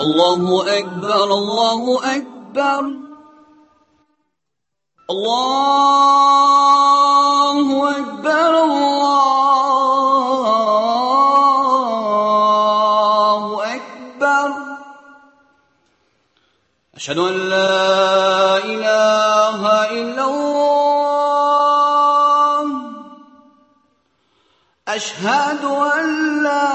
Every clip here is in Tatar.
الله أكبر الله أكبر الله أكبر الله أكبر أشهد أن لا إله إلا الله أشهد أن لا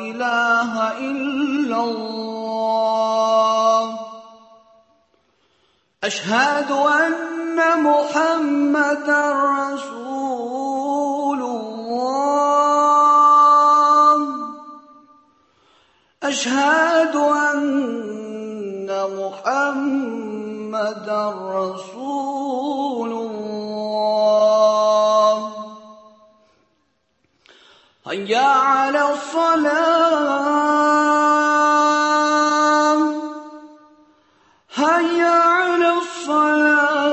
إله إلا الله أشهد أن محمدا رسول الله أشهد أن محمدا رسول الله هيا على الصلاة هيا على الصلاة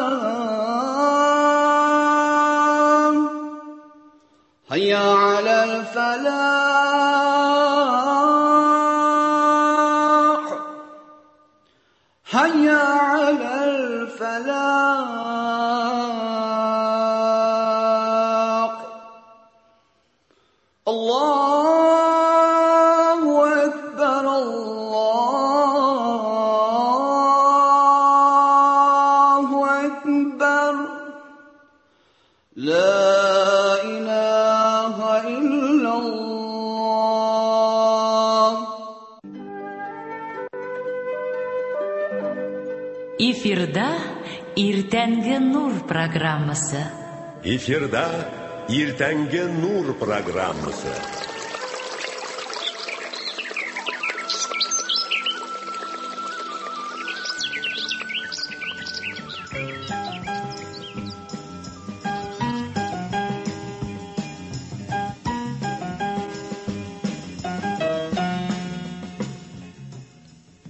هيا على الفلاح هيا على الفلاح الله أكبر الله أكبر لا إله إلا الله. Эфирда Иртәнге нур программасы. Эфирда Иртәнге нур программасы.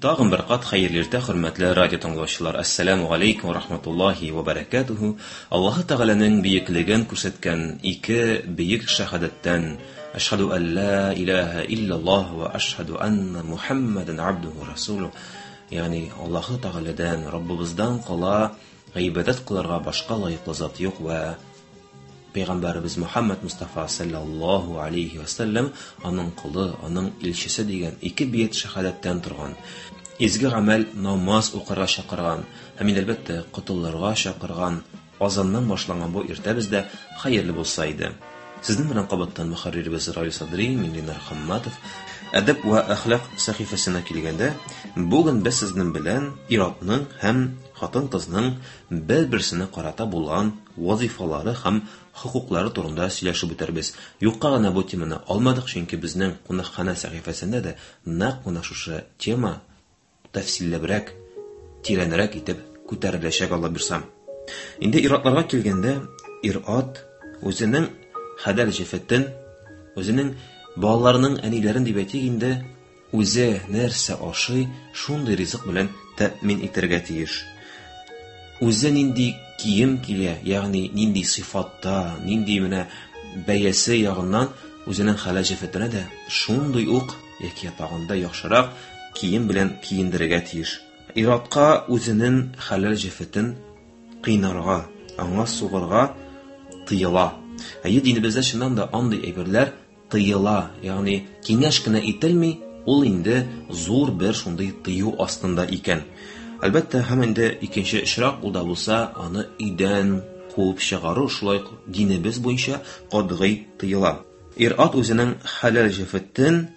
Тагын бер кат хәерле иртә, хөрмәтле радио тыңлаучылар. Ассаламу алейкум ва рахматуллахи ва баракатуху. Аллаһы Тәгаләнең бөеклеген күрсәткән ике бөек шәһадәттән Ашһаду ан ла илаһа иллаллаһ ва ашһаду анна Мухаммадан абдуху ва расулуһ. Ягъни Аллаһы Тәгаләдән, Раббыбыздан кала гыйбадәт кылырга башка лаеклы зат юк ва Пәйгамбәребез Мухаммад Мустафа саллаллаһу алейхи ва саллям аның колы, аның илчесе дигән ике бөек шәһадәттән торган изге гамәл намаз укырга чакырган һәм инде әлбәттә котылырга чакырган азаннан башланган бу иртә бездә хәерле булса иде. Сезнең белән кабаттан мөхәрриребез Равил Садри, мин Ленар Хамматов. Әдәп вә әхлак сәхифәсенә килгәндә, бүген без сезнең белән ир-атның һәм хатын-кызның бер-берсенә карата булган вазифалары һәм хокуклары турында сөйләшеп үтәрбез. Юкка гына бу теманы алмадык, чөнки безнең кунакханә сәхифәсендә дә нәкъ менә шушы тема тәфсилләбрәк, тирәнрәк итеп күтәреләчәк, Алла бирса. Инде ир-атларга килгәндә, ир-ат үзенең хәләл җефетен, үзенең балаларының әниләрен дип әйтик инде, үзе нәрсә ашый, шундый ризык белән тәэмин итәргә тиеш. Үзе нинди кием килә, ягъни нинди сыйфатта, нинди менә бәясе ягыннан үзенең хәләл җефетенә дә шундый ук яки тагын да яхшырак кием белән киендерергә тиеш. Ир-атка үзенең хәләл җефетен кыйнарга, аңа сугырга тыела. Әйе, динебездә чыннан да андый әйберләр тыела, ягъни киңәш кенә ителми, ул инде зур бер шундый тыю астында икән. Әлбәттә, һәм инде икенче очрак ул да булса, аны өйдән куып чыгару шулай ук динебез буенча катгый тыела. Ир-ат үзенең хәләл җефетен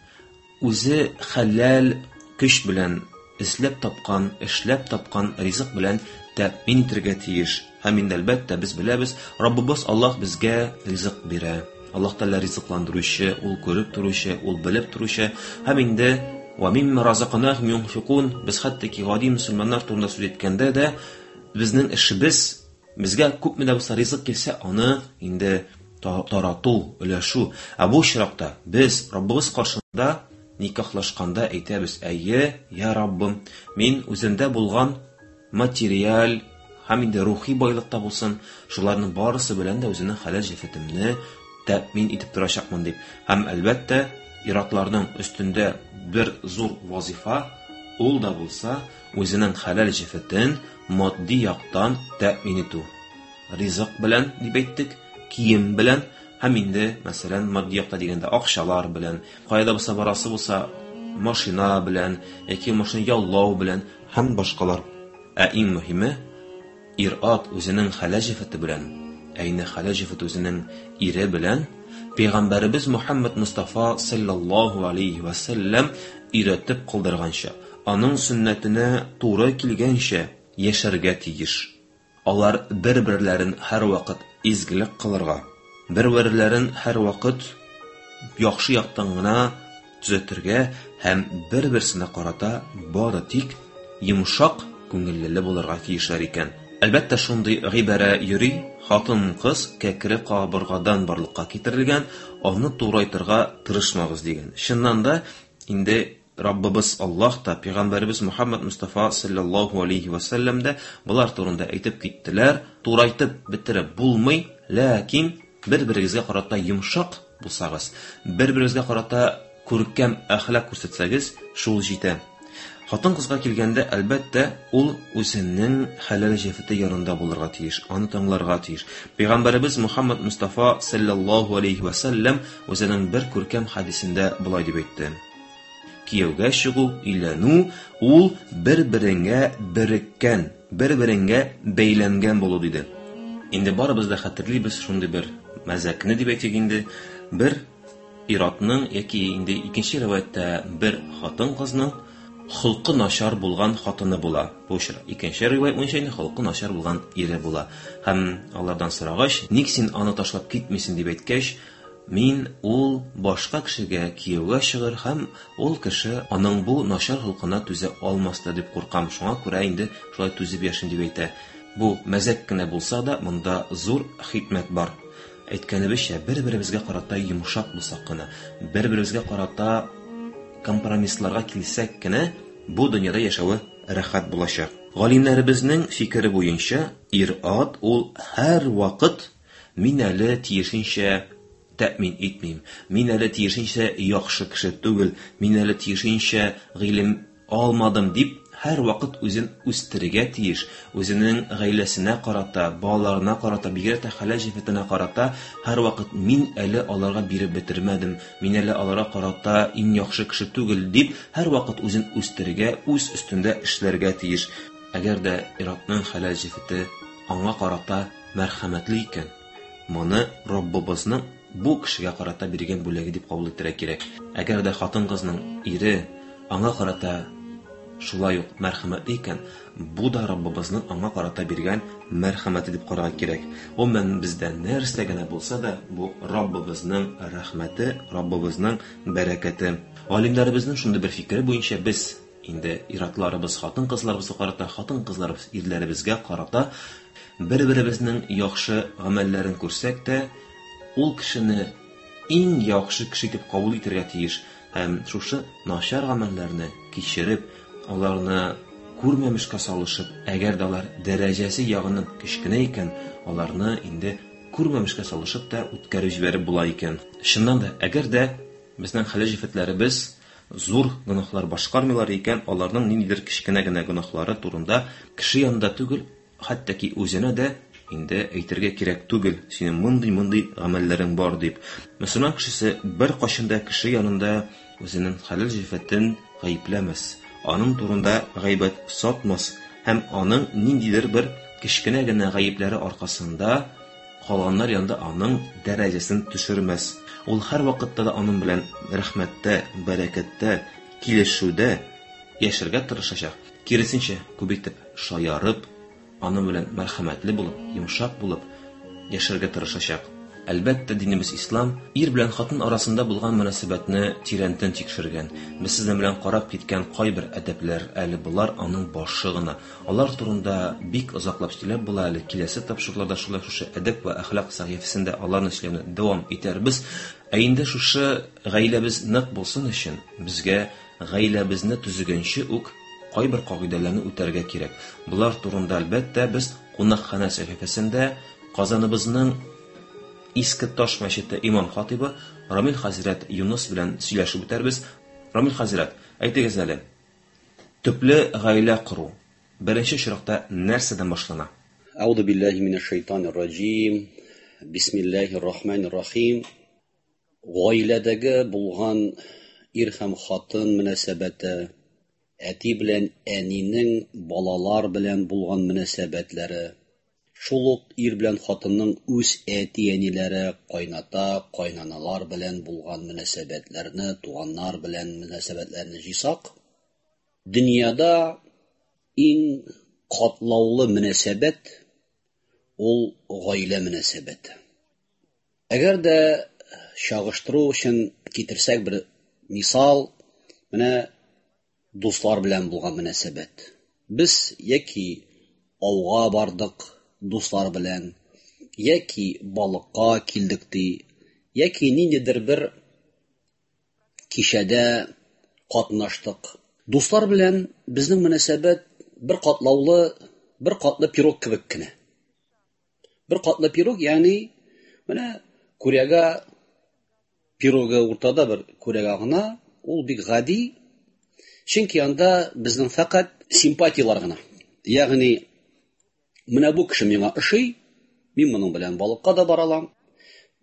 үзе хәләл көч белән эзләп тапкан, эшләп тапкан ризык белән тәэмин итәргә тиеш. Һәм инде әлбәттә без беләбез, Раббыбыз Аллаһ безгә ризык бирә. Аллаһ Тәгалә ризыкландыручы, ул күреп торучы, ул белеп торучы. Һәм инде ва мимма разакнахум юнфикун, без хәтта ки гади мөселманнар турында сүз әйткәндә дә безнең эшебез, безгә күпме дә булса ризык килсә, аны инде тарату, өләшү. Ә бу очракта без Раббыбыз каршында никахлашканда әйтәбез: "Әйе, я Раббым, мин үземдә булган материаль һәм инде рухи байлыкта булсын, шуларның барысы белән дә үземнең хәләл җефетемне тәэмин итеп торачакмын" дип. Һәм әлбәттә, Ир-атларның өстендә бер зур вазифа, ул да булса үзенең хәләл җефетен матди яктан тәэмин итү. Ризык белән дип әйттек, кием белән һәм инде, мәсәлән, матди якта дигәндә акчалар белән, кая да булса барасы булса, машина белән яки машина яллау белән һәм башкалар. Ә иң мөһиме, ир-ат үзенең хәләл җефете белән, ә инде хәләл җефет үзенең ире белән Пәйгамбәребез Мухаммад Мустафа саллаллаһу алейхи ва сәлләм өйрәтеп калдырганча, аның сөннәтенә туры килгәнчә яшәргә тиеш. Алар бер-берләрен һәрвакыт изгелек кылырга, бер-берләрен һәрвакыт яхшы яктан гына төзәтергә һәм бер-берсенә карата бары тик йомшак күңеллеле булырга тиешләр икән. Әлбәттә, шундый гыйбарә йөри, хатын-кыз кәкре кабыргадан барлыкка китерелгән, аны турайтырга тырышмагыз дигән. Чыннан да, инде Раббыбыз Аллаһ та, пәйгамбәребез Мухаммад Мустафа саллаллаһу алейхи ва сәлләм дә болар турында әйтеп киттеләр. Турайтып бетереп булмый, ләкин бер-берегезгә карата йомшак булсагыз, бер-берегезгә карата күркәм әхлак күрсәтсәгез, шул җитә. Хатын-кызга килгәндә, әлбәттә, ул үзенең хәләл җефете янында булырга тиеш, аны тыңларга тиеш. Пәйгамбәребез Мухаммад Мустафа саллаллаһу алейхи ва сәлләм үзенең бер күркәм хәдисендә болай дип әйтте: Кияүгә чыгу, өйләнү ул бер-береңә береккән, бер-береңә бәйләнгән булу, диде. Инде барыбыз да хәтерлибез шундый бер мәзәкне дип әйтик инде, бер ир-атның яки инде икенче риваятьтә бер хатын-кызның холкы начар булган хатыны була. Бу очрак икенче риваять буенча инде холкы начар булган ире була. Һәм алардан сорагач, ник син аны ташлап китмисең дип әйткәч, мин ул башка кешегә кияүгә чыгыр һәм ул кеше аның бу начар холкына түзә алмас та дип куркам. Шуңа күрә инде шулай түзеп яшим дип әйтә. Бу мәзәк кенә булса да, монда зур хикмәт бар. Әйткәнебезчә, бер-беребезгә карата йомшак булсак кына, бер-беребезгә карата компромиссларга килсәк кенә, бу дөньяда яшәве рәхәт булачак. Галимнәребезнең фикере буенча, ир-ат ул һәрвакыт мин әле тиешенчә тәэмин итмим, мин әле тиешенчә яхшы кеше түгел, мин әле тиешенчә гыйлем алмадым дип һәрвакыт үзен үстерергә тиеш, үзенең гаиләсенә карата, балаларына карата, бигрәк тә хәләл җефетенә карата һәрвакыт мин әле аларга биреп бетермәдем, мин әле аларга карата иң яхшы кеше түгел дип һәрвакыт үзен үстерергә, үз өстендә эшләргә тиеш. Әгәр дә ир-атның хәләл җефете аңа карата мәрхәмәтле икән, моны Раббыбызның бу кешегә карата биргән бүләге дип кабул итәргә кирәк. Әгәр дә хатын-кызның ире аңа карата шулай ук мәрхәмәтле икән, бу да Раббыбызның аңа карата биргән мәрхәмәте дип карарга кирәк. Гомумән, бездә нәрсә генә булса да, бу Раббыбызның рәхмәте, Раббыбызның бәрәкәте. Галимнәребезнең шундый бер фикере буенча без инде ир-атларыбыз хатын-кызларыбызга карата, хатын-кызларыбыз ирләребезгә карата бер-беребезнең яхшы гамәлләрен күрсәк тә, ул кешене иң яхшы кеше итеп кабул итәргә тиеш һәм шушы начар гамәлләрне кичереп, аларны күрмәмешкә салышып, әгәр дә алар дәрәҗәсе ягыннан кечкенә икән, аларны инде күрмәмешкә салышып та үткәреп җибәреп була икән. Чыннан да, әгәр дә безнең хәләл җефетләребез зур гөнаһлар башкармыйлар икән, аларның ниндидер кечкенә генә гөнаһлары турында кеше янында түгел, хәтта ки үзенә дә инде әйтергә кирәк түгел, синең мондый-мондый гамәлләрең бар дип. Мөселман кешесе беркайчан да кеше янында үзенең хәләл җефетен гаепләмәс, аның турында гайбәт сатмас һәм аның ниндидер бер кечкенә генә гаепләре аркасында калганнар янында аның дәрәҗәсен төшермәс. Ул һәрвакытта да аның белән рәхмәттә, бәрәкәттә, килешүдә яшәргә тырышачак. Киресенчә, күп итеп шаярып, аның белән мәрхәмәтле булып, йомшак булып яшәргә тырышачак. Әлбәттә, динебез ислам ир белән хатын арасында булган мөнәсәбәтне тирәнтен тикшергән. Без сезнең белән карап киткән кайбер әдәпләр әле болар аның башы гына. Алар турында бик озаклап сөйләп була әле. Киләсе тапшыруларда шулай шушы әдәп вә әхлак сәхифәсендә аларны сөйләүне дәвам итәрбез. Ә инде шушы гаиләбез нык булсын өчен безгә гаиләбезне төзегәнче үк кайбер кагыйдәләрне үтәргә кирәк. Болар турында әлбәттә без кунакханә сәхифәсендә Казаныбызның Иске Таш мәчете имам хатыйбы Рамил хәзрәт Юныс белән сөйләшеп үтәрбез. Рамил хәзрәт, әйтегез әле, төпле гаилә кору беренче очракта нәрсәдән башлана? Әгъузу биллаһи минәш шайтанир раҗим. Бисмиллаһир рахманир рахим. Гаиләдәге булган ир һәм хатын мөнәсәбәте, әти белән әнинең балалар белән булган мөнәсәбәтләре, шул ук ир белән хатынның үз әти-әниләре, кайната, кайнаналар белән булган мөнәсәбәтләрне, туганнар белән мөнәсәбәтләрне җыйсак, дөньяда иң катлаулы мөнәсәбәт ул гаилә мөнәсәбәте. Әгәр дә чагыштыру өчен китерсәк бер мисал, менә дуслар белән булган мөнәсәбәт. Без яки ауга бардык дуслар белән, яки балыкка килдек ди, яки ниндидер бер кичәдә катнаштык. Дуслар белән безнең мөнәсәбәт бер катлаулы, бер катлы пирог кебек кенә. Бер катлы пирог, ягъни менә күрәгә пирогы уртада бер күрәгә гына, ул бик гади. Чөнки анда безнең фәкать симпатияләр гына. Ягъни менә бу кеше миңа ошый, мин моның белән балыкка да бара алам.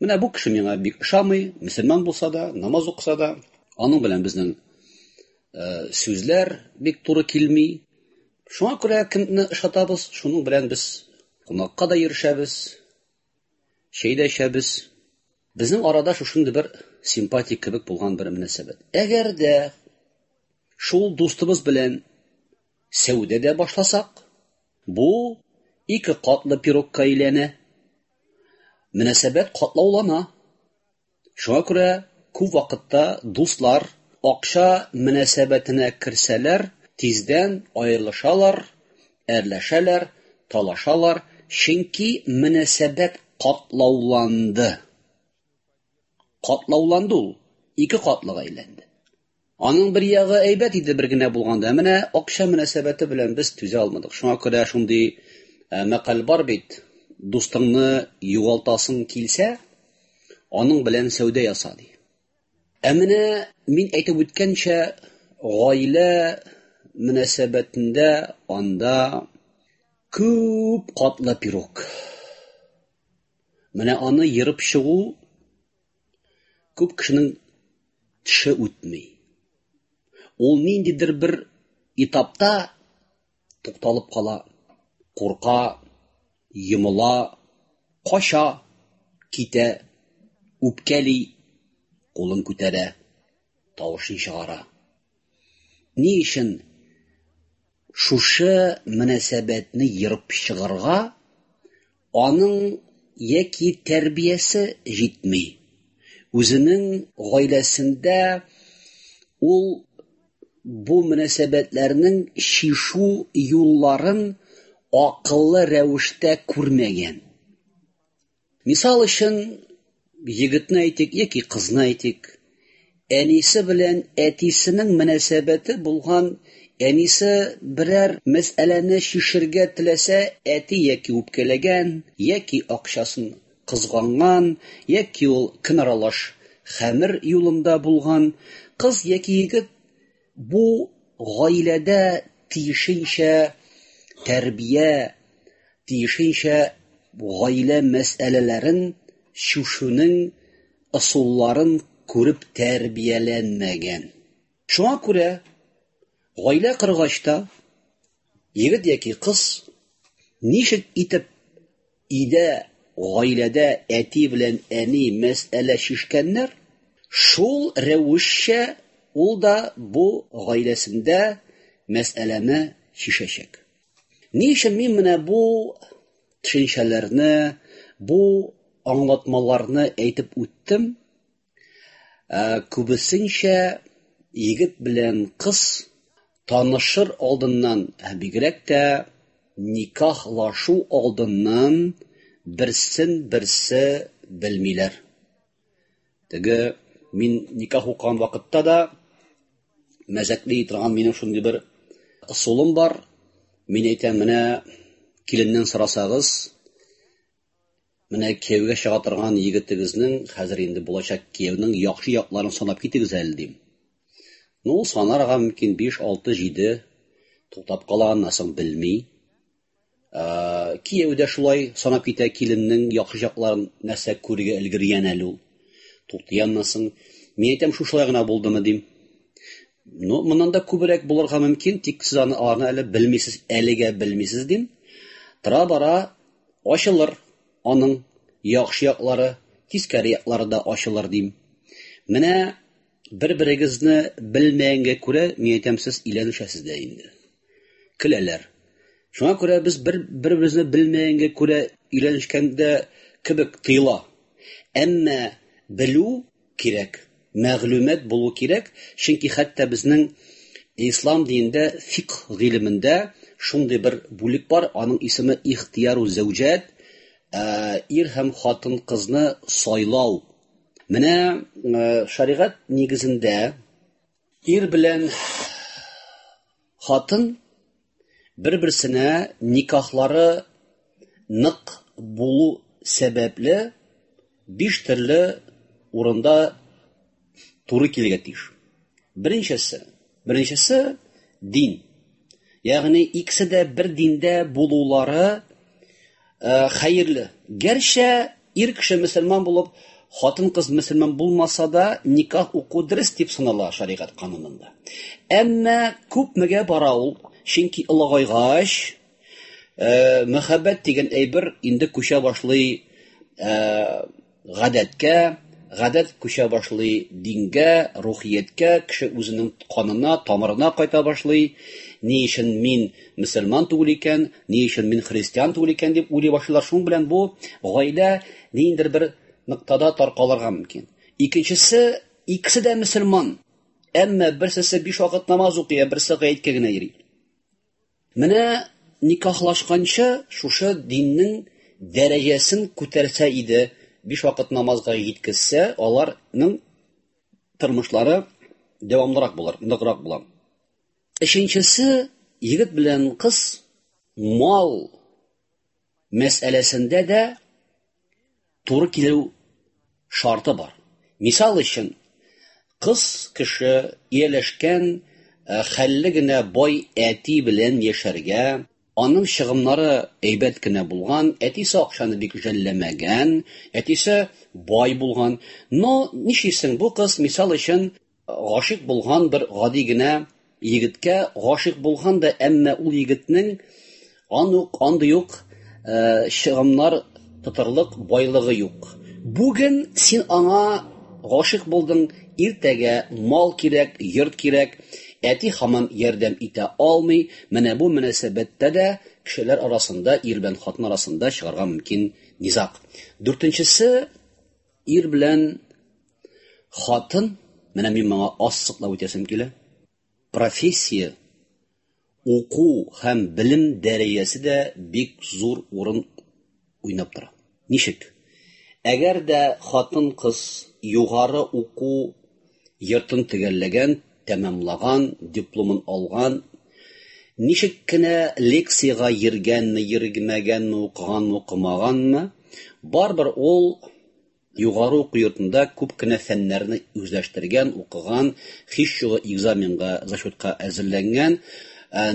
Менә бу кеше миңа бик ошамый, мөселман булса да, намаз укыса да, аның белән безнең сүзләр бик туры килми. Шуңа күрә кемне ошатабыз, шуның белән без кунакка да йөрешәбез, чәй дә эчәбез. Безнең арада шушындый бер симпатия кебек булган бер мөнәсәбәт. Әгәр дә шул дустыбыз белән сәүдә дә башласак, бу ике катлы пирогка әйләнә. Мөнәсәбәт катлаулана. Шуңа күрә күп вакытта дуслар акча мөнәсәбәтенә керсәләр, тиздән аерылышалар, әрләшәләр, талашалар, чөнки мөнәсәбәт катлауланды. Катлауланды ул, ике катлыга әйләнде. Аның бер ягы әйбәт иде бер генә булганда, менә акча мөнәсәбәте белән без түзә алмадык. Шуңа күрә шундый мәкаль бар бит, дустыңны югалтасың килсә, аның белән сәүдә яса ди. Ә менә мин әйтеп үткәнчә, гаилә мөнәсәбәтендә анда күп катлы пирог. Менә аны ерып чыгу күп кешенең теше үтми. Ул ниндидер бер этапта тукталып кала, курка, йомыла, кача, китә, үпкәли, кулын күтәрә, тавышын чыгара. Ни өчен шушы мөнәсәбәтне ерып чыгарга аның яки тәрбиясе җитми, үзенең гаиләсендә ул бу мөнәсәбәтләрнең чишү юлларын акыллы рәвештә күрмәгән. Мисал өчен, егетне әйтик яки кызны әйтик, әнисе белән әтисенең мөнәсәбәте булган, әнисе берәр мәсьәләне чишергә теләсә, әти яки үпкәләгән, яки акчасын кызганган, яки ул көнаралаш хәмер юлында булган, кыз яки егет бу гаиләдә тиешенчә тәрбия, тиешенчә гаилә мәсьәләләрен чишүнең ысулларын күреп тәрбияләнмәгән. Шуңа күрә гаилә коргач та егет яки кыз ничек итеп өйдә, гаиләдә әти белән әни мәсьәлә чишкәннәр, шул рәвешчә ул да бу гаиләсендә мәсьәләне чишәчәк. Ни өчен мин менә бу төшенчәләрне, бу аңлатмаларны әйтеп үттем? Күбесенчә егет белән кыз танышыр алдыннан, бигрәк тә никахлашу алдыннан берсен берсе белмиләр. Теге мин никах укыган вакытта да мәзәкли торган минем шундый бер ысулым бар. Мин әйтәм, менә киленнән сорасагыз, Менә кияүгә чыга торган егетегезнең, хәзер инде булачак кияүнең яхшы якларын санап китегез әле, дим. Ну, санарга мөмкин 5, 6, 7 туктап кала, аннан соң белми. Кияү дә шулай санап китә киленнең яхшы якларын, нәрсә күрергә өлгергән әле ул. Туктый аннан соң. Мин әйтәм, шушылай гына булдымы, дим. Ну, моннан да күбрәк булырга мөмкин, тик сез аны аларны әле белмисез, әлегә белмисез, дим. Тора-бара ачылыр аның яхшы яклары, тискәре яклары да ачылыр, дим. Менә бер-берегезне белмәгәнгә күрә, мин әйтәм, сез өйләнешәсез дә инде. Көләләр. Шуңа күрә без бер-беребезне белмәгәнгә күрә өйләнешкәндә кебек тыела. Әмма белү кирәк, мәгълүмат булу кирәк, чөнки хәтта безнең ислам динендә фикх гыйлемендә шундый бер бүлек бар, аның исеме ихтияру зәүҗәт, ир һәм хатын-кызны сайлау. Менә шәригать нигезендә ир белән хатын бер-берсенә никахлары нык булу сәбәпле 5 төрле урында туры килергә тиеш. Беренчесе, беренчесе дин. Ягъни икесе дә бер диндә булулары хәерле. Гәрчә ир кеше мөселман булып, хатын-кыз мөселман булмаса да, никах уку дөрес дип санала шәригать канунында. Әмма күпмегә бара ул? Чөнки олыгайгач, мәхәббәт дигән әйбер инде күчә башлый гадәткә, гадәт күчә башлый дингә, рухияткә, кеше үзенең канына, тамырына кайта башлый. Ни өчен мин мөселман түгел икән, ни өчен мин христиан түгел икән дип уйлый башлыйлар. Шуның белән бу гаилә ниндидер бер ноктада таркалырга мөмкин. Икенчесе, икесе дә мөселман, әмма берсесе 5 вакыт намаз укый, ә берсе гаеткә генә йөри. Менә никахлашканчы шушы диннең дәрәҗәсен күтәрсә иде, 5 вакыт намазга җиткезсә, аларның тормышлары дәвамлырак булыр, ныграк була. Өченчесе, егет белән кыз мал мәсьәләсендә дә туры килү шарты бар. Мисал өчен, кыз кеше ияләшкән хәлле генә бай әти белән яшәргә, аның чыгымнары әйбәт кенә булган, әтисе акчаны бик жәлләмәгән, әтисе бай булган. Но нишлисең, бу кыз, мисал өчен, гашыйк булган бер гади генә егеткә гашыйк булган да, әмма ул егетнең андый ук чыгымнар тотарлык байлыгы юк. Бүген син аңа гашыйк булдың, иртәгә мал кирәк, йорт кирәк, әти һаман ярдәм итә алмый. Менә бу мөнәсәбәттә дә кешеләр арасында, ир белән хатын арасында чыгарга мөмкин низаг. Дүртенчесе, ир белән хатын, менә мин моңа ассыклап үтәсем килә. Профессия, уку һәм белем дәрәҗәсе дә бик зур урын уйнап тора. Ничек? Әгәр дә хатын-кыз югары уку йортын төгәлләгән, тәмамлаган, дипломын алган, ничек кенә лекциягә йөргәнме, йөрмәгәнме, укыганмы, укымаганмы, барыбер ул югары уку йортында күп кенә фәннәрне үзләштергән, укыган, һич югы экзаменга, зачетка әзерләнгән,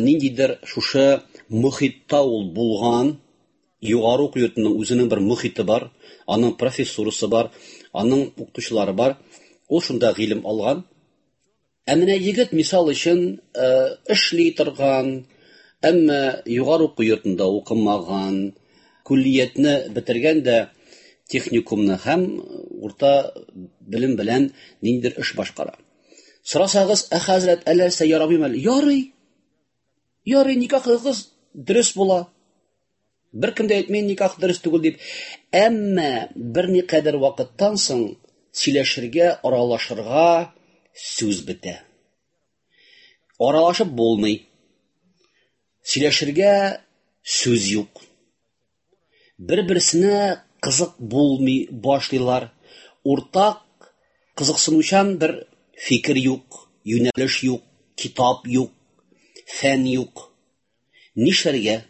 ниндидер шушы мохитта ул булган. Югары уку йортының үзенең бер мохите бар, аның профессурасы бар, аның укытучылары бар. Ул шунда гыйлем алган. Ә менә егет, мисал өчен, эшли торган, әмма югары уку йортында укымаган, күллиятне бетергән дә техникумны һәм урта белем белән ниндидер эш башкара. Сорасагыз, ә хәзрәт, әллә нәрсә ярамыймы әле? Ярый. Ярый, никахыгыз дөрес була. Бер кем дә әйтми, никах дөрес түгел дип. Әмма берникадәр вакыттан соң сөйләшергә, аралашырга сүз бетә. Аралашып булмый. Сөйләшергә сүз юк. Бер-берсенә кызык булмый башлыйлар. Уртак кызыксынучан бер фикер юк, юнәлеш юк, китап юк, фән юк. Нишләргә?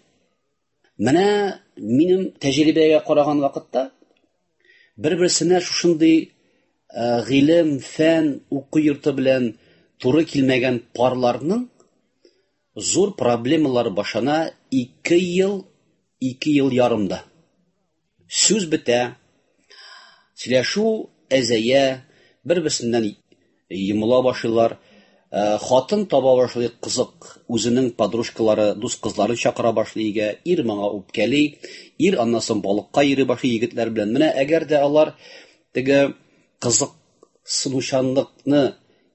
Менә минем тәҗрибәгә караган вакытта, Бер-берсенә шушындый гыйлем, фән, уку йорты белән туры килмәгән парларның зур проблемалары башлана 2 ел, 2 ел ярымда. Сүз бетә, сөйләшү әзәя, бер-берсеннән йомыла башлыйлар. Хатын таба башлый, кызык, үзенең подружкалары, дус кызларын чакыра башлый өйгә, ир моңа үпкәли, ир аннан соң балыкка йөри башлый егетләр белән. Менә әгәр дә алар теге кызыксынучанлыкны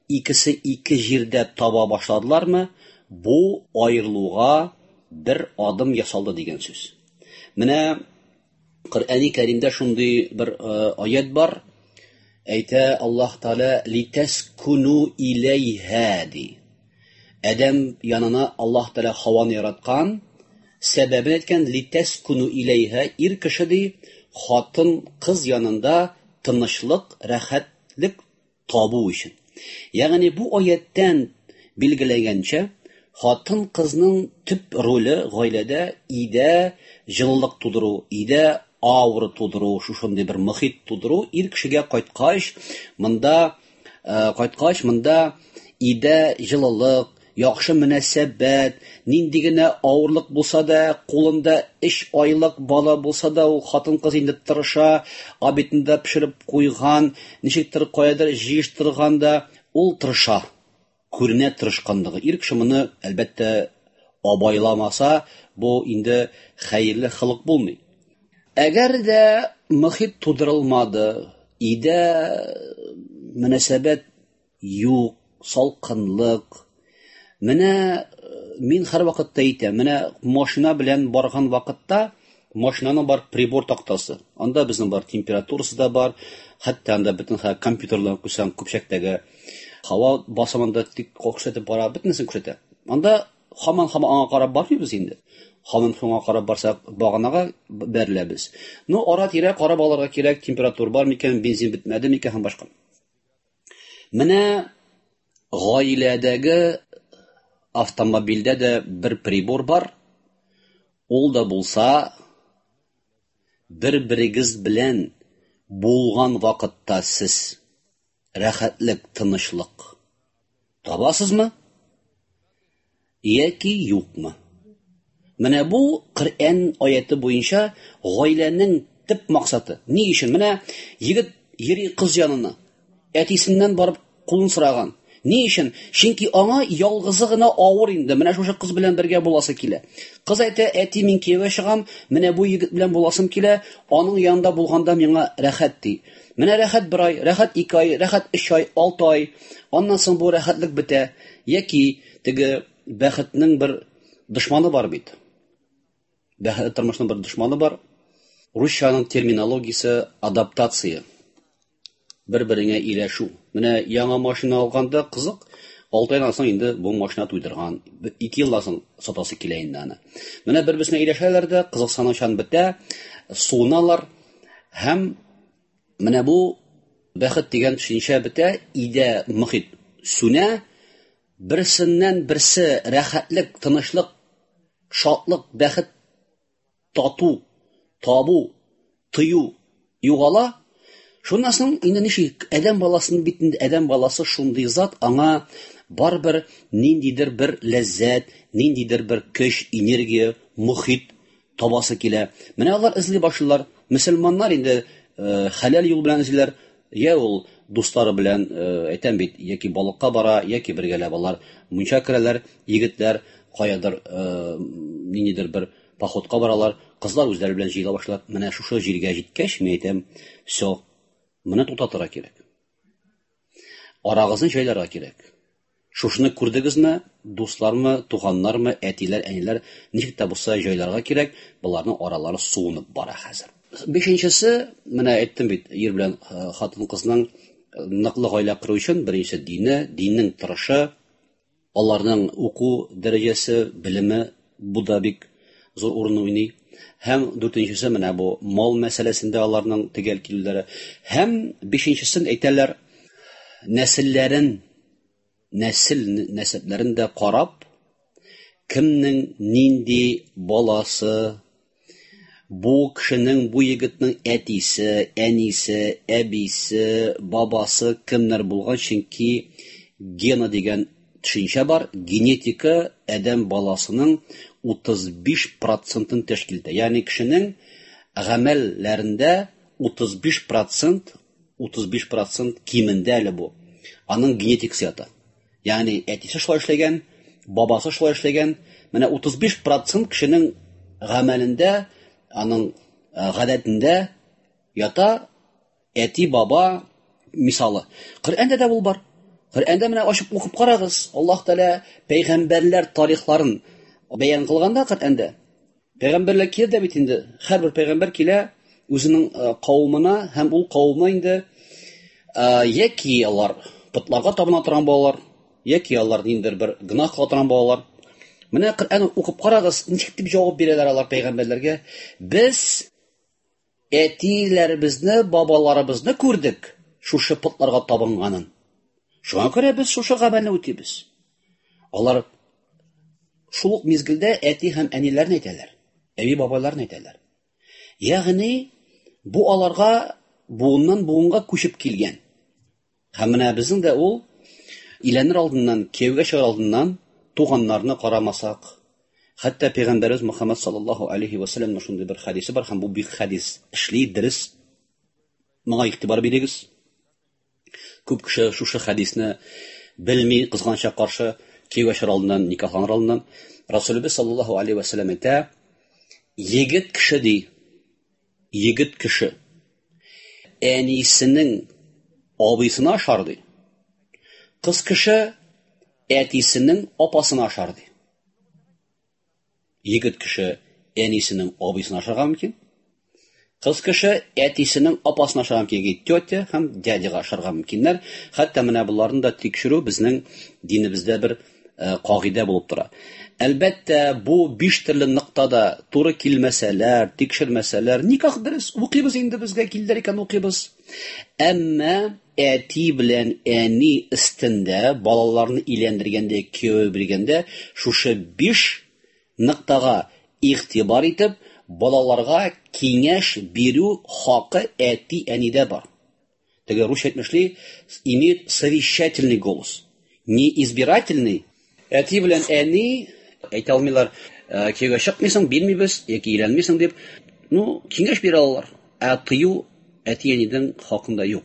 икесе ике җирдә таба башладылармы, бу аерылуга бер адым ясалды дигән сүз. Менә Коръәни Кәримдә шундый бер аят бар. Әйтә Аллаһ Тәгалә литәскуну иләйһә ди. Адәм янына Аллаһ Тәгалә Хаваны яраткан, сәбәбен әйткән литәскуну иләйһә, ир кеше ди, хатын кыз янында тынычлык, рәхәтлек табу өчен. Ягъни бу аяттән билгеләгәнчә, хатын-кызның төп роле гаиләдә өйдә җылылык тудыру, өйдә аура тудыру, шушындый бер мохит тудыру, ир кешегә кайткач, монда кайткач, монда өйдә җылылык, яхшы мөнәсәбәт, нинди генә авырлык булса да, кулында 3 айлык бала булса да, ул хатын-кыз инде тырыша, обедны да пешереп куйган, ничектер каядыр җыештырган да, ул тырыша. Күренә тырышканлыгы. Ир кеше моны, әлбәттә, абайламаса, бу инде хәерле холык булмый. Әгәр дә мохит тудырылмады, өйдә мөнәсәбәт юк, салкынлык. Менә мин һәрвакытта әйтәм, менә машина белән барган вакытта машинаның бар прибор тактасы. Анда безнең бар температурасы да бар, хәтта анда бөтен компьютерлар куйсаң, көпчәктәге һава басымын да тик күрсәтеп бара, бөтенесен күрсәтә. Анда һаман-һаман аңа карап бармыйбыз инде. Һаман шуңа карап барсак, баганага бәреләбез. Ну, ара-тирә карап алырга кирәк, температура бар микән, бензин бетмәде микән һәм башка. Менә гаиләдәге автомобильдә дә бер прибор бар. Ул да булса, бер-берегез белән булган вакытта сез рәхәтлек, тынычлык табасызмы яки юкмы? Менә бу Коръән аяты буенча гаиләнең төп максаты. Ни өчен? Менә егет йөри кыз янына, әтисеннән барып кулын сораган. Ни өчен? Чөнки аңа ялгызы гына авыр инде. Менә шушы кыз белән бергә буласы килә. Кыз әйтә, әти, мин кияүгә чыгам, менә бу егет белән буласым килә, аның янында булганда миңа рәхәт ди. Менә рәхәт бер ай, рәхәт 2 ай, рәхәт 3 ай, 6 ай. Аннан соң бу рәхәтлек бетә. Яки теге бәхетнең бер дошманы бар бит. Бәхетле тормышның бер дошманы бар. Русчаның терминологиясе адаптация. Бер-береңә ияләшү. Менә яңа машина алганда кызык, 6 айдан соң инде бу машина туйдырган, 2 елдан соң сатасы килә инде аны. Менә бер-берсенә ияләшәләр дә, кызыксынучан бетә, суыналар һәм менә бу бәхет дигән төшенчә бетә, өйдә мохит сүнә, берсеннән берсе рәхәтлек, тынычлык, шатлык, бәхет, тату, табу, тою югала. Шуннан соң инде ничек адәм баласының бит инде адәм баласы шундый зат, аңа барыбер ниндидер бер ләззәт, ниндидер бер көч, энергия, мохит табасы килә. Менә алар эзли башлыйлар. Мөселманнар инде хәләл юл белән эзлиләр. Я ул дуслары белән, әйтәм бит, яки балыкка бара, яки бергәләп алар мунча керәләр, егетләр каядыр ниндидер бер походка баралар, кызлар үзләре белән җыела башлар. Менә шушы җиргә җиткәч, мин әйтәм, всё, моны туктатырга кирәк. Арагызны җайларга кирәк. Шушыны күрдегезме, дуслармы, туганнармы, әтиләр, әниләр, ничек тә булса җайларга кирәк, боларның аралары суынып бара хәзер. Бишенчесе, менә әйттем бит, ир белән хатын-кызның ныклы гаилә кору өчен беренче дине, диннең торышы, аларның уку дәрәҗәсе, белеме, бу да бик зур урын уйный. Һәм дүртенчесе, менә бу мал мәсьәләсендә аларның төгәл килүләре. Һәм бишенчесен әйтәләр, нәселләрен, нәсел нәсәпләрен дә карап, кемнең нинди баласы, Бу кешенең, бу егетнең әтисе, әнисе, әбисе, бабасы кемнәр булган, чөнки гена дигән төшенчә бар. Генетика адәм баласының 35 процентын тәшкил итә. Ягъни кешенең гамәлләрендә 35%, 35% кимендә әле бу. Аның генетикасы ята. Ягъни әтисе шулай эшләгән, бабасы шулай эшләгән. Менә 35% кешенең гамәлендә, аның гадәтендә ята әти, баба мисалы. Коръәндә дә бул бар. Коръәндә менә ачып укып карагыз. Аллаһ Тәгалә пәйгамбәрләр тарихларын бәян кылганда Коръәндә пәйгамбәрләр килә дә бит инде. Һәрбер пәйгамбәр килә үзенең кавымына һәм ул кавымы инде яки алар потларга табына торган балалар, яки алар ниндидер бер гөнаһ кыла торган балалар. Менә Коръән укып карагыз, ничек дип җавап бирәләр алар пәйгамбәрләргә? Без әтиләребезне, бабаларыбызны күрдек шушы потларга табынганын. Шуңа күрә без шушы гамәлне үтибез. Алар шул ук мизгелдә әти һәм әниләрне әйтәләр, әби бабайларны әйтәләр. Ягъни бу аларга буыннан буынга күчеп килгән. Һәм менә безнең дә ул өйләнер алдыннан, кияүгә чыгар алдыннан туганнарны карамасак, хәтта пәйгамбәребез Мөхәммәд саллаллаһу алейхи ва сәлләмнең шундый бер хәдисе бар, һәм бу бик хәдис эшли, дөрес. Моңа игътибар бирегез. Күп кеше шушы хәдисне белми, кызганычка каршы, кияүгә чыгар алдыннан, никахланыр алдыннан. Расулыбыз саллаллаһу алейхи ва сәлләм әйтә, егет кеше ди, егет кеше әнисенең абыйсына ашар ди. Кыз кеше әтисенең апасына ашар ди. Егет кеше әнисенең абыйсына ашарга мөмкин. Кыз кеше әтисенең апасына ашарга мөмкин, яки тетя һәм дядяга ашарга мөмкиннәр. Хәтта менә боларны да тикшерү безнең динебездә бер кагыйдә булып тора. Әлбәттә, бу биш төрле ноктада туры килмәсәләр, тикшермәсәләр, никах дөрес, укыйбыз инде, безгә килделәр икән, укыйбыз. Әмма әти белән әни өстендә балаларны өйләндергәндә, кияүгә биргәндә шушы биш ноктага игътибар итеп, балаларга киңәш бирү хакы әти-әнидә бар. Теге русча әйтмешли, имеет совещательный голос. Не избирательный. Әти белән әни әйтә алмыйлар, кияүгә чыкмыйсың, бирмибез, яки өйләнмисең дип. Ну, киңәш бирә алалар. Ә тыю әти-әнидең хакында юк.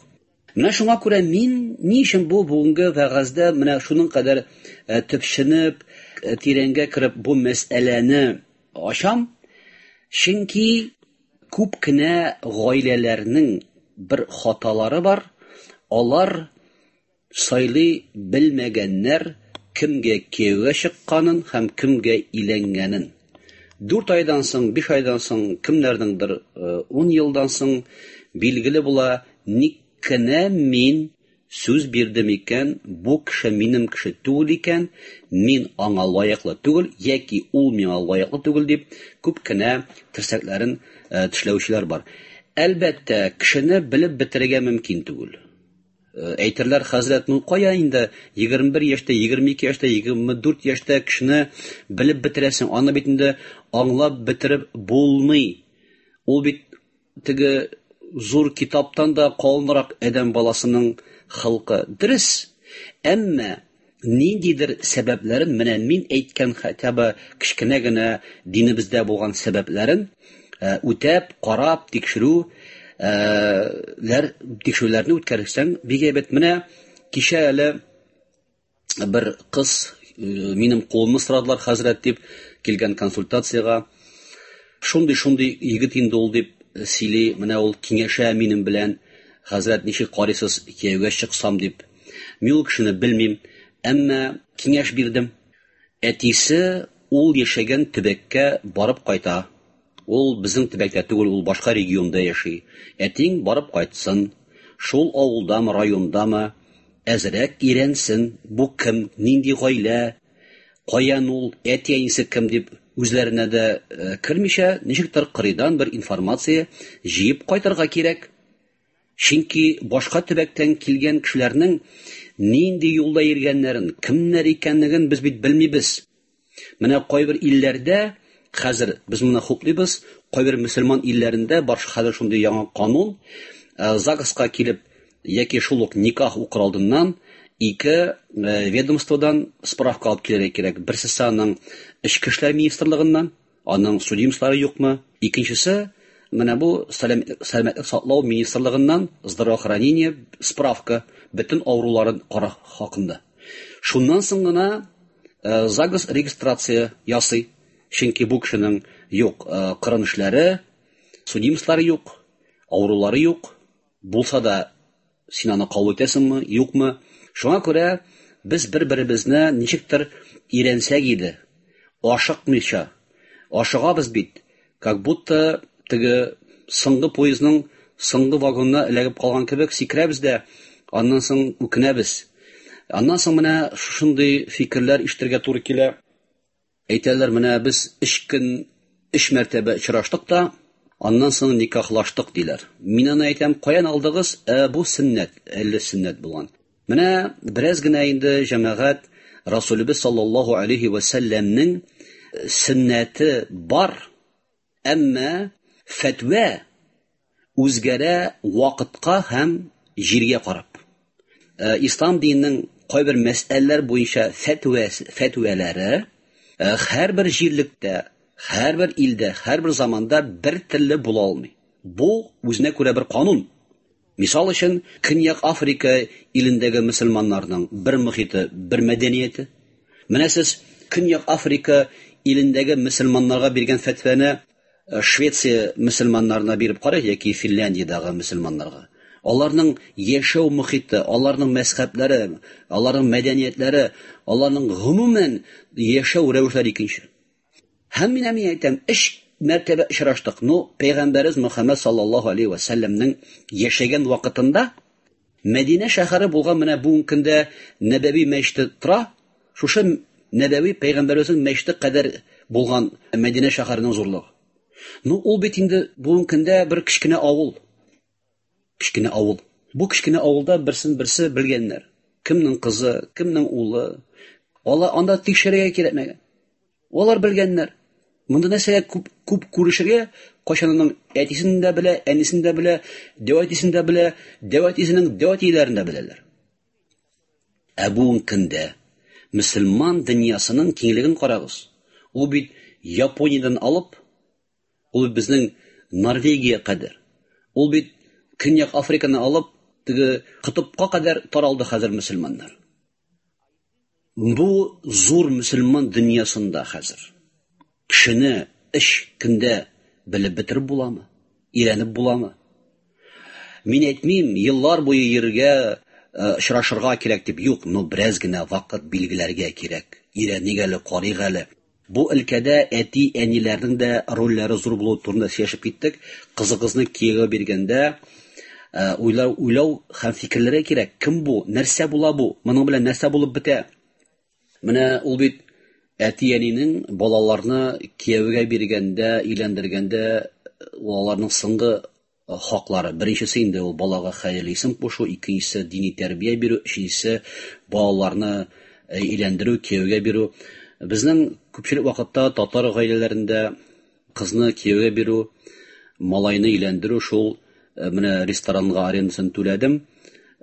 Менә шуңа күрә мин ни өчен бу бүгенге вәгазьдә менә шуның кадәр төпченеп, тирәнгә кереп бу мәсьәләне ачам? Чөнки күп кенә гаиләләрнең бер хаталары бар. Алар сайлый белмәгәннәр кемгә кияүгә чыкканын һәм кемгә өйләнгәнен. 4 айдан соң, 5 айдан соң, кемнәрнеңдер 10 елдан соң билгеле була, ник кенә мин сүз бирдем икән, бу кеше минем кеше түгел икән, мин аңа лаеклы түгел, яки ул миңа лаеклы түгел дип күп кенә терсәкләрен тешләүчеләр бар. Әлбәттә, кешене белеп бетерергә мөмкин түгел. Әйтерләр, хәзрәт, ну кая инде 21 яшьтә, 22 яшьтә, 24 яшьтә кешене белеп бетерәсең, аны бит инде аңлап бетереп булмый. Ул бит теге зур китаптан да калынрак адәм баласының холкы. Дөрес, әмма ниндидер сәбәпләрен, менә мин әйткән хотя бы кечкенә генә динебездә булган сәбәпләрен үтәп, карап, тикшерү тикшерүләрне үткәрсәң бик әйбәт. Менә кичә әле бер кыз минем кулымны сорадылар, хәзрәт дип килгән консультациягә. Шундый-шундый егет инде ул дип сөйли, менә ул киңәшә минем белән, хәзрәт, ничек карыйсыз, кияүгә чыксам дип. Мин ул кешене белмим, әмма киңәш бирдем. Әтисе ул яшәгән төбәккә барып кайта. Ул безнең төбәктә түгел, ул башка регионда яши. Әтиң барып кайтсын, шул авылдамы, райондамы, әзрәк өйрәнсен, бу кем, нинди гаилә, каян ул, әти-әнисе кем дип үзләренә дә кермичә, ничектер кырыйдан бер информация җыеп кайтырга кирәк. Чөнки башка төбәктән килгән кешеләрнең нинди юлда йөргәннәрен, кемнәр икәнлеген без бит белмибез. Менә кайбер илләрдә хәзер без моны хуплыйбыз, Кайбер мөселман илләрендә бар хәзер шундый яңа канун, ЗАГСка килеп яки шул ук никах укыр алдыннан ике ведомстводан справка алып килергә кирәк. Берсесе аның Эчке эшләр министрлыгыннан, аның судимостлары юкмы? Икенчесе, менә бу сәламәтлек саклау министрлыгыннан, здравоохранение справка, бөтен авыруларын кара хакында. Шуннан соң гына ЗАГС регистрация ясый. Чөнки бу кешенең юк кырын эшләре, судимостлары юк, авырулары юк. Булса да, син аны кабул итәсеңме, юкмы? Шуңа күрә без бер-беребезне ничектер өйрәнсәк иде, ашыкмыйча. Ашыгабыз бит, как будто теге соңгы поездның соңгы вагонына эләгеп калган кебек сикерәбез дә, аннан соң үкенәбез. Аннан соң менә шушындый фикерләр ишетергә туры килә. Әйтәләр, менә без өч көн, өч мәртәбә очраштык та, аннан соң никахлаштык, диләр. Мин аны әйтәм, каян алдыгыз? Ә бу сөннәт, әллә сөннәт булган. Менә бераз генә инде, җәмәгать, Расулебез саллаллаһу алейһи вә сәлләмнең сөннәте бар, Әмма фәтва үзгәрә вакытка һәм җиргә карап. Ислам диненең кайбер мәсьәләләр буенча фәтва фәтвәләре һәрбер җирлектә, һәрбер илдә, һәрбер заманда бер телле була алмый. Бу үзенә күрә бер канун. Мисал өчен, Көньяк Африка илендәге мөселманнарның бер мохиты, бер мәдәнияте. Менә сез Көньяк Африка илендәге мөселманнарга биргән фәтвәне Швеция мөселманнарына биреп карыйк яки Финляндиядәге мөселманнарга. Аларның яшәү мохиты, аларның мәзхәбләре, аларның мәдәниятләре, аларның гомумән яшәү рәвешләре икенче. Һәм менә мин әйтәм, өч мәртәбә очраштык. Ну, пәйгамбәребез Мөхәммәд саллаллаһу алейһи вә сәлләмнең яшәгән вакытында Мәдинә шәһәре булган менә бүгенге көндә Нәбәви мәчете тора. Шушы Нәбәви пәйгамбәребезнең мәчете кадәр булган Мәдинә шәһәренең зурлыгы. Ну, ул бит инде бүгенге көндә бер кечкенә авыл. Кечкенә авыл. Бу кечкенә авылда берсен-берсе белгәннәр. Кемнең кызы, кемнең улы. Алар анда тикшерергә кирәкмәгән. Алар белгәннәр. Монда нәрсәгә күп, күп күрешергә, кайчан аның әтисен дә белә, әнисен дә белә, дәү әтисен дә белә, дәү әтисенең дәү әтиләрен дә беләләр. Ә бүгенге көндә мөселман дөньясының киңлеген карагыз. Ул бит Япониядән алып Ул бит безнең Норвегия кадәр. Ул бит Көньяк Африканы алып, теге котыпка кадәр таралды хәзер мөселманнар. Бу зур мөселман дөньясында хәзер кешене өч көндә белеп бетереп буламы? Өйрәнеп буламы? Мин әйтмим, еллар буе йөрергә, очрашырга кирәк дип, юк, но бераз генә вакыт билгеләргә кирәк. Өйрәник әле, карыйк әле. Бу өлкәдә әти-әниләрнең дә рольләре зур булуы турында сөйләшеп киттек. Кызыгызны кияүгә биргәндә уйлау, уйлау һәм фикерләргә кирәк. Кем бу? Нәрсә була бу? Моның белән нәрсә булып бетә? Менә ул бит әти-әнинең балаларны кияүгә биргәндә, өйләндергәндә ул аларның соңгы хаклары. Беренчесе инде ул балага хәерле исем кушу, икенчесе дини тәрбия бирү, өченчесе балаларны өйләндерү, кияүгә бирү. Безнең күпчелек вакытта татар гаиләләрендә кызны кияүгә бирү, малайны өйләндерү шул менә ресторанга арендасын түләдем,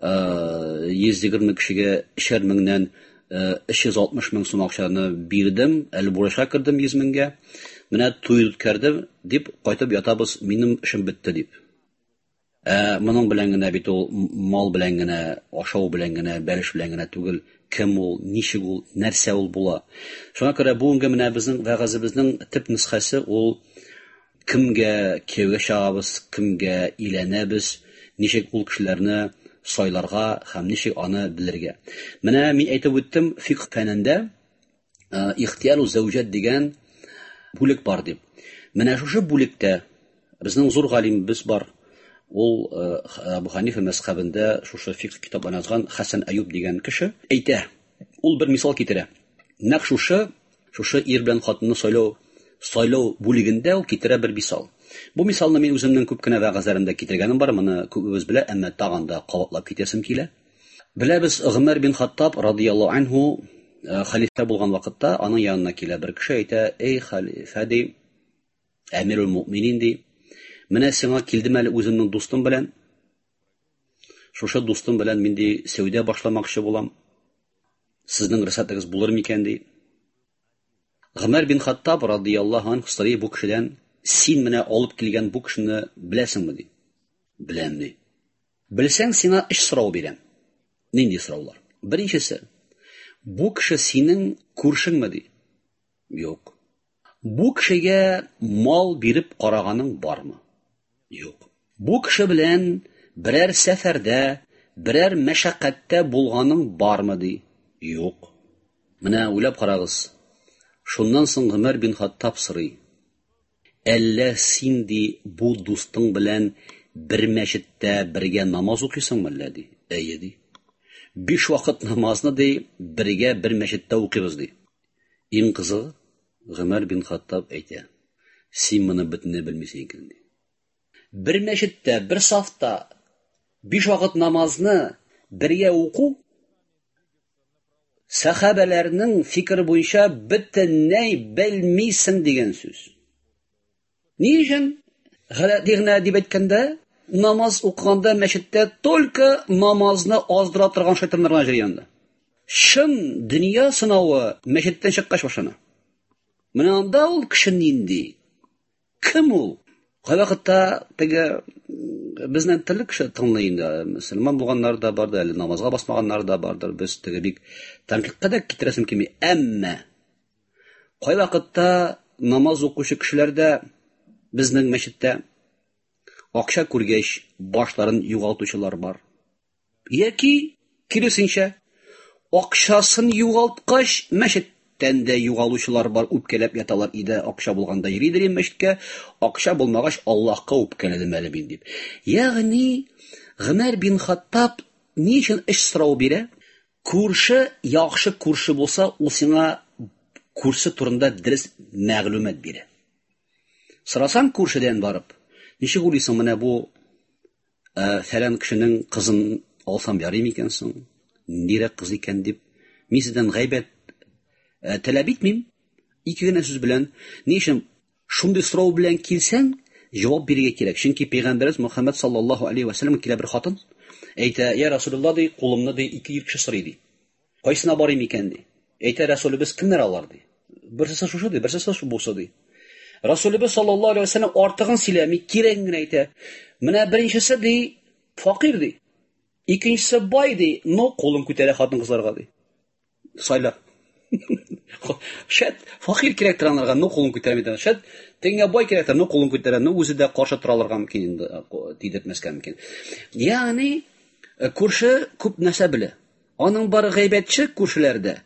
120 кешегә өчәр меңнән 360 мең сум акчаны бирдем, әле бурычка кердем 100 меңгә. Менә туй үткәрдем дип кайтып ятабыз, минем эшем бетте дип. Ә моның белән генә бит ул мал белән генә, ашау белән генә, бәлеш белән генә түгел, кем ул, ничек ул, нәрсә ул була. Шуңа күрә бүгенге менә безнең вәгазебезнең төп нөсхәсе ул кемгә кияүгә чыгабыз, кемгә өйләнәбез, ничек ул кешеләрне сайларга һәм ничек аны белергә. Менә мин әйтеп үттем, фикх фәнендә ихтияру зәүҗәт дигән бүлек бар дип. Менә шушы бүлектә безнең зур галимебез бар. Ул Әбу Ханифа мәзхәбендә шушы фикх китапларын язган Хәсән Әюб дигән кеше әйтә. Ул бер мисал китерә. Нәкъ шушы Шушы ир белән хатынны сайлау сайлау бүлегендә ул китерә бер мисал. Бу мисалны мин үземнең күп кенә вәгазьләремдә китергәнем бар, моны күбебез белә, әмма тагын да кабатлап китәсем килә. Беләбез, Гомәр бин Хаттаб радияллаһу анһу хәлифә булган вакытта аның янына килә бер кеше, әйтә, "Эй, хәлифә, ди, Әмирул мөминин ди. Менә сиңа килдем әле үземнең дустым белән. Шушы дустым белән мин ди сәүдә башламакчы булам. Сезнең рөхсәтегез булыр микән ди. Гомәр бин Хаттаб радияллаһу анһу сорый бу кешедән, син менә алып килгән бу кешене беләсеңме ди. Беләм ди. Белсәң, сиңа өч сорау бирәм. Нинди сораулар? Беренчесе, бу кеше синең күршеңме ди. Юк. Бу кешегә мал биреп караганың бармы? Юк. Бу кеше белән берәр сәфәрдә, берәр мәшәкатьтә булганың бармы ди? Юк. Менә уйлап карагыз. Шуннан соң Гомәр бин Хаттаб сорый. Әллә син ди бу дустың белән бер мәчеттә бергә намаз укыйсыңмы әллә ди? Әйе ди. Биш вакыт намазны ди бергә бер мәчеттә укыйбыз ди. Иң кызыгы, Гомәр бин Хаттаб әйтә, син моны бөтенләй белмисең икән ди. Бер мәчеттә, бер сафта биш вакыт намазны бергә уку сәхабәләрнең фикере буенча бөтенләй белмисең дигән сүз. Ни өчен? Гадәти генә дип әйткәндә, намаз укыганда мәчеттә только намазны аздыра торган шайтаннар гына йөри анда. Чын дөнья сынавы мәчеттән чыккач башлана. Менә анда ул кеше нинди? Кем ул? Кайвакытта теге безнең төрле кеше тыңлый инде. Мөселман булганнар да бардыр, әле намазга басмаганнар да бардыр. Без теге бик тәнкыйтькә дә китерәсем килми. Әмма кайвакытта намаз укучы кешеләр дә безнең мәчеттә акча күргәч башларын югалтучылар бар. Яки киресенчә, акчасын югалткач мәчеттән дә югалучылар бар, үпкәләп яталар иде, акча булганда йөри дим мәчеткә, акча булмагач Аллаһка үпкәләдем әле мин дип. Ягъни Гомәр бин Хаттаб ни өчен эш сорау бирә? Күрше яхшы күрше булса, ул сиңа күрше турында дөрес мәгълүмат бирә. Сорасаң күршедән барып, ничек уйлыйсың, менә бу фәлән кешенең кызын алсам ярый микән соң? Ниндирәк кыз икән дип, мин сездән гайбәт таләп итмим. Ике генә сүз белән, ни өчен шундый сорау белән килсәң, җавап бирергә кирәк. Чөнки пәйгамбәребез Мөхәммәд саллаллаһу алейхи ва сәлләм килә бер хатын, әйтә, "Я Расулуллаһ" ди, кулымны ди ике ир кеше сорый ди. Кайсына барыйм икән ди. Әйтә Расулебез, кемнәр алар ди. Берсесе шушы ди, берсесе шу бусы ди. Расулебез саллаллаһу алейхи ва сәлләм артыгын сөйләми, кирәген генә әйтә. Менә беренчесе ди, факир ди. Икенчесе бай ди, но кулын күтәрә хатын-кызларга ди. Сайла. Шәт, факир кирәктер анарга, но кулын күтәрми ди. Шәт, тегеңә бай кирәктер, но кулын күтәрә, но үзе дә каршы тора алырга мөмкин инде, тидертмәскә мөмкин. Ягъни, күрше күп нәрсә белә. Аның бар гайбәтче күршеләрдә.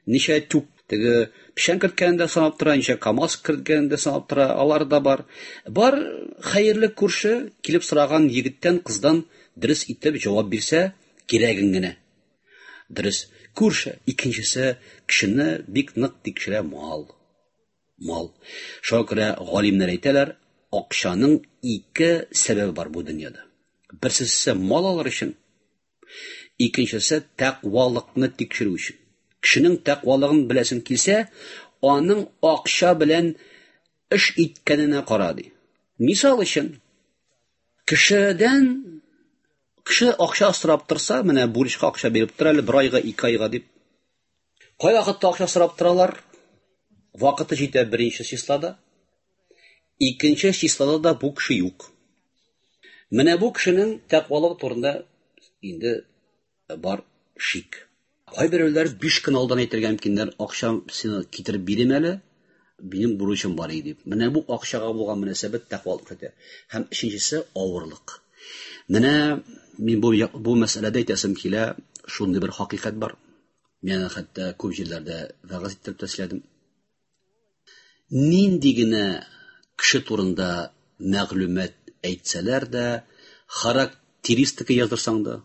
Ничә тюк теге печән керткәнен дә санап тора, ничә КАМАЗ керткәнен дә санап тора, алар да бар. Бар хәерле күрше килеп сораган егеттән, кыздан дөрес итеп җавап бирсә, кирәген генә. Дөрес. Күрше. Икенчесе, кешене бик нык тикшерә мал. Мал. Шуңа күрә галимнәр әйтәләр, акчаның ике сәбәбе бар бу дөньяда. Берсесе мал алыр өчен, икенчесе тәкъвалыкны тикшерү өчен. Кешенең тәкъвалыгын беләсең килсә, аның акча белән эш иткәненә кара ди. Мисал өчен, кешедән кеше акча сорап торса, менә бурычка акча биреп тор әле бер айга, ике айга дип. Кай вакытта акча сорап торалар? Вакыты җитә беренче числода. Икенче числода да бу кеше юк. Менә бу кешенең тәкъвалыгы турында инде бар шик. Кайберәүләр 5 көн алдан әйтергә мөмкиннәр, акча сиңа китереп бирим әле, минем бурычым бар иде дип. Менә бу акчага булган мөнәсәбәт тәкъвалык итә. Һәм өченчесе авырлык. Менә мин бу бу мәсьәләдә әйтәсем килә, шундый бер хакыйкать бар. Мин аны хәтта күп җирләрдә вәгазь иттереп тә сөйләдем. Нинди генә кеше турында мәгълүмат әйтсәләр дә, характеристика яздырсаң да,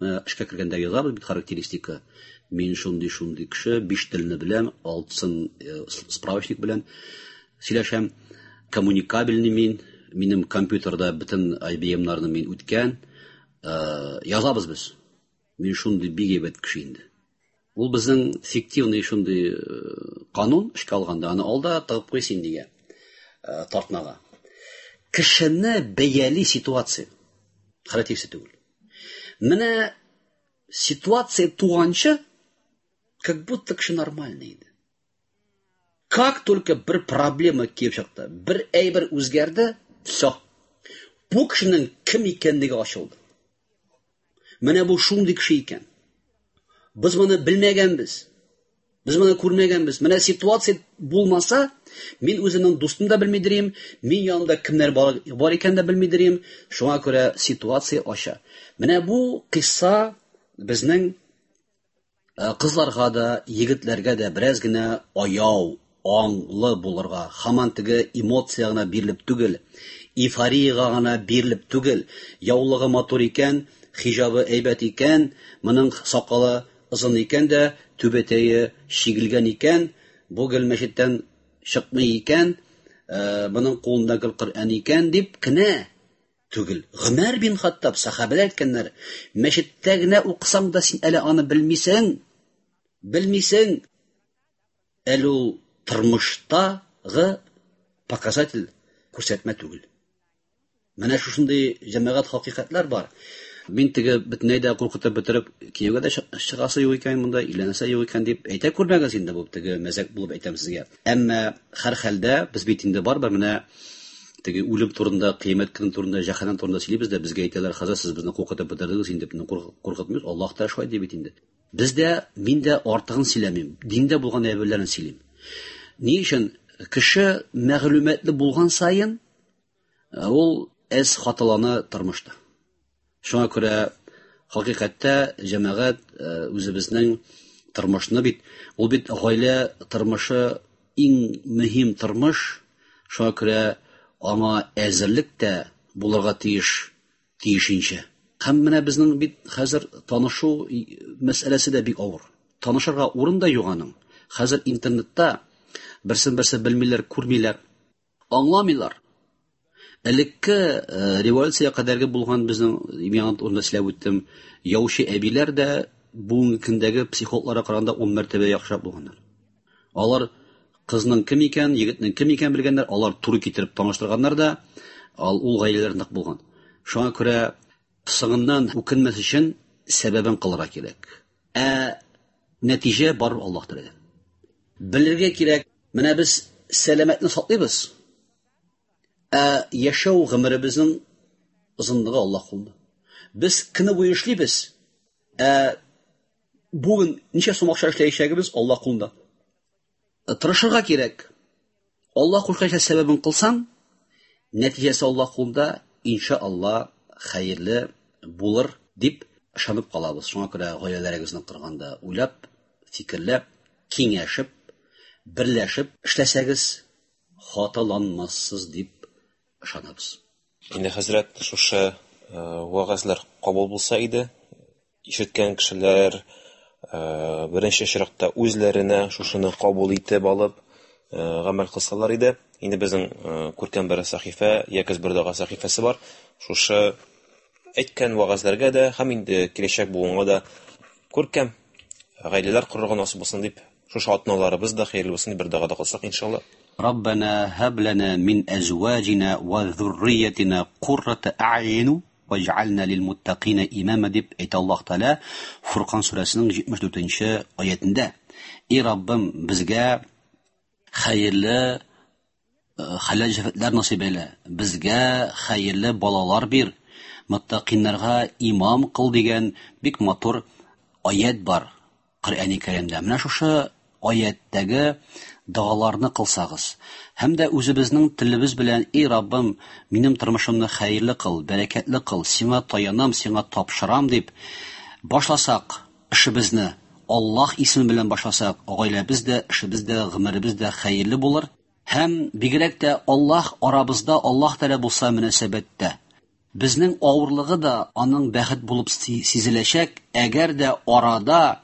эшкә кергәндә язабыз бит характеристика. Мин шундый-шундый кеше, биш телне беләм, алтысын справочник белән сөйләшәм, коммуникабельный мин, минем компьютерда бөтен IBM-нарны мин үткән. Язабыз без. Мин шундый бик әйбәт кеше инде. Ул безнең фиктивный шундый канун эшкә алганда, аны ал да тыгып куй син дигән. тартмага. Кешене бәяли ситуация. Халәт түгел. Менә ситуация туганчы, как будто кеше нормальный иде. Как только бер проблема килеп чыкты, бер әйбер үзгәрде, все. Бу кешенең кем икәнлеге ачылды. Менә бу шундый кеше икән. Без моны белмәгәнбез. Без моны күрмәгәнбез. Менә ситуация булмаса, мин үземнең дустым да белмидер идем, мин янымда кемнәр бар икән дә белмидер идем. Шуңа күрә ситуация ача. Менә бу кыйсса безнең кызларга да, егетләргә дә бераз генә аяу, аңлы булырга, һаман теге эмоция гына бирелеп түгел, эйфорияга гына бирелеп түгел, яулыгы матур икән, хиҗабы әйбәт икән, моның сакалы озын икән дә, түбәтәе чигелгән икән, бу гел мәчеттән чыкмый икән, моның кулында гел Коръән икән дип кенә түгел. Гомәр бин Хаттаб сахабәләр әйткәннәр, мәчеттә генә укысаң да син әле аны белмисең, белмисең. Әле ул тормыштагы показатель күрсәтмә түгел. Менә шушындый җәмәгать хакыйкатьләр бар. Мин теге бөтенләй дә куркытып бетереп кияүгә дә чыгасы юк икән монда, өйләнәсе юк икән дип әйтә күрмәгез инде, бу теге мәзәк булып әйтәм сезгә. Әмма һәр хәлдә без бит инде барыбер менә теге үлем турында, кыямәт көне турында, җәһәннәм турында сөйлибез дә, безгә әйтәләр, хәзер сез безне куркытып бетердегез инде, безне куркытмыйбыз, Аллаһ та шулай ди бит инде. Без дә, мин дә артыгын сөйләмим, диндә булган әйберләрне сөйлим. Ни өчен кеше мәгълүматлы булган саен ул әз хаталана тормышта. Шуңа күрә хакыйкатьтә җәмәгать үзебезнең тормышны бит, ул бит гаилә тормышы иң мөһим тормыш, шуңа күрә аңа әзерлек тә булырга тиеш, тиешенчә. Һәм менә безнең бит хәзер танышу мәсьәләсе дә бик авыр. Танышырга урын да юк аның. Хәзер интернетта берсен-берсе белмиләр, күрмиләр, аңламыйлар. Элекке революция кадәрге булган безнең, мин урында сөйләп үттем, яучы әбиләр дә бүгенге көндәге психологларга караганда 10 мәртәбә яхшырак булганнар. Алар кызның кем икән, егетнең кем икән белгәннәр, алар туры китереп таныштырганнар да, ул гаиләләр нык булган. Шуңа күрә соңыннан үкенмәс өчен сәбәбен кылырга кирәк. Ә нәтиҗә бар Аллаһ Тәгаләдән. Белергә кирәк, менә без сәламәтне саклыйбыз. Ә яшәү гомеребезнең озынлыгы Аллаһ кулында. Без көне буе эшлибез. Ә бүген ничә сум акча эшләячәгебез Аллаһ кулында. Тырышырга кирәк. Аллаһ кушканча сәбәбен кылсаң, нәтиҗәсе Аллаһ кулында, иншалла, хәерле булыр дип ышанып калабыз. Шуңа күрә гаиләләрегезне корганда уйлап, фикерләп, киңәшеп, берләшеп эшләсәгез, хаталанмассыз дип ышанабыз. Инде хәзрәт, шушы вәгазьләр кабул булса иде, ишеткән кешеләр беренче чиратта үзләренә шушыны кабул итеп алып, гамәл кылсалар иде. Инде безнең күркәм бер сәхифә, Якез бер дога сәхифәсе бар. Шушы әйткән вәгазьләргә дә һәм инде киләчәк буынга да күркәм гаиләләр корырга насыйп булсын дип, шушы атналарыбыз да хәерле булсын дип бер дога да кылсак, иншалла. Раббана һаб лана мин азваҗина ва зурриятина куррата а'юн ваҗ'ална лил муттакина имама дип әйтә Аллаһ Тәгалә Фуркан сүрәсенең 74-нче аятендә. Эй Раббым, безгә хәерле хәләл җефетләр насыйп әйлә, безгә хәерле балалар бир, муттакиннарга имам кыл дигән бик матур аят бар Коръәни Кәримдә. Менә шушы аяттәге догаларны кылсагыз һәм дә үзебезнең телебез белән: Эй Раббым, минем тормышымны хәерле кыл, бәрәкәтле кыл, сиңа таянам, сиңа тапшырам дип башласак эшебезне, Аллаһ исеме белән башласак, гаиләбез дә, эшебез дә, гомеребез дә хәерле булыр. Һәм бигрәк тә Аллаһ арабызда, Аллаһ Тәгалә булса мөнәсәбәттә, безнең авырлыгы да аның бәхет булып сизеләчәк. Әгәр дә арада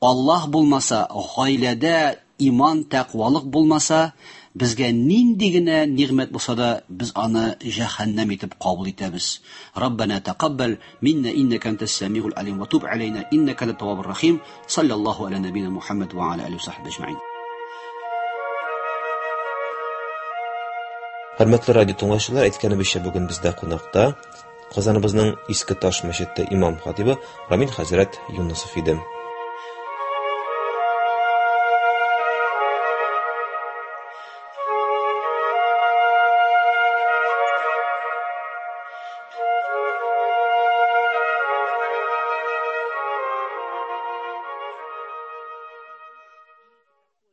Аллаһ булмаса, гаиләдә иман, тәкъвалык булмаса, безгә нинди генә нигъмәт булса да, без аны җәһәннәм итеп кабул итәбез. Раббана тәкаббал минна иннака антас самиул алим ва туб алейна иннака антат таввабур рахим. Саллаллаху аля набина Мухаммад ва аля алихи ва сахбихи ажмаин. Хөрмәтле радио тыңлаучылар, әйткәнебезчә, бүген бездә кунакта Казаныбызның Иске Таш мәчете имам хатибы Рамил хәзрәт Юнысов иде.